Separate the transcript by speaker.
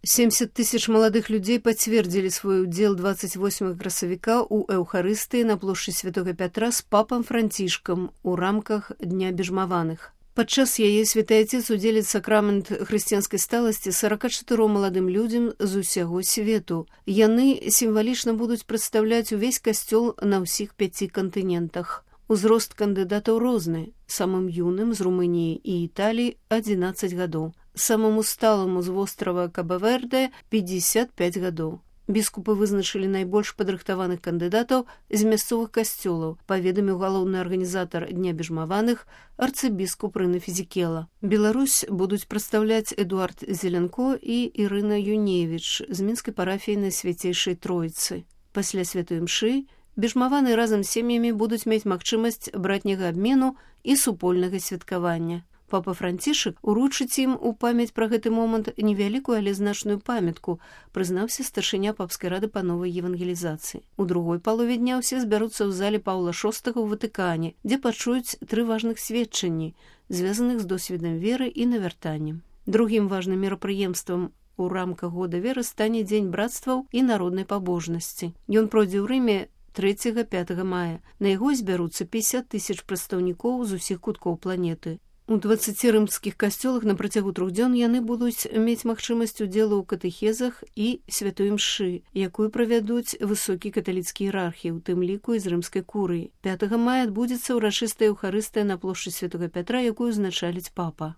Speaker 1: 70 тысяч маладых людзей пацвердзілі свой удзел 28 красавіка ў эўхарыстыі на плошчы Святога Пятра з папам Францішкам у рамках Дня бежмаваных. Падчас яе святы Отец удзеліць сакрамент хрысціянскай сталасці 44 маладым людзям з усяго свету. Яны сімвалічна будуць прадстаўляць увесь касцёл на ўсіх 5 кантынентах. Узрост кандыдатаў розны. Самым юным з Румыніі і Італіі 11 гадоў. Самому сталаму з вострава Каба-Верде 55 гадоў. Біскупы вызначылі найбольш падрыхтаваных кандыдатаў з мясцовых касцёлаў, паведаміў галоўны арганізатар Дня бежмаваных арцыбіскуп Рына Фізікела. Беларусь будуць прадстаўляць Эдуард Зеленко і Ірына Юневіч з мінскай парафіі Найсвяцейшай Тройцы. Пасля святой імшы бежмаваны разам з сем'ямі будуць мець магчымасць братняга абмену і супольнага святкавання. Папа Францішак уручыць ім у памяць пра гэты момант невялікую, але значную памятку, прызнаўся старшыня папскай рады па новай евангелізацыі. У другой палове дня ўсе збяруцца ў зале Паўла VI ў Ватыкане, дзе пачуюць 3 важных сведчанні, звязаных з досведам веры і навяртаннем. Другім важным мерапрыемствам у рамках года веры стане Дзень брацтваў і народнай пабожнасці. Ён пройдзе ў Рыме 3-5 мая. На яго збяруцца 50 тысяч прадстаўнікоў з усіх куткоў планеты. У 20 рымскіх касцёлах на працягу 3 дзён яны будуць мець магчымасць удзелу ў катэхезах і святой імшы, якую правядуць высокі каталіцкі іерархі, у тым ліку і з рымскай курыі. 5 мая адбудзецца ўрачыстая эўхарыстыя на плошчы Святога Пятра, якую узначаліць папа.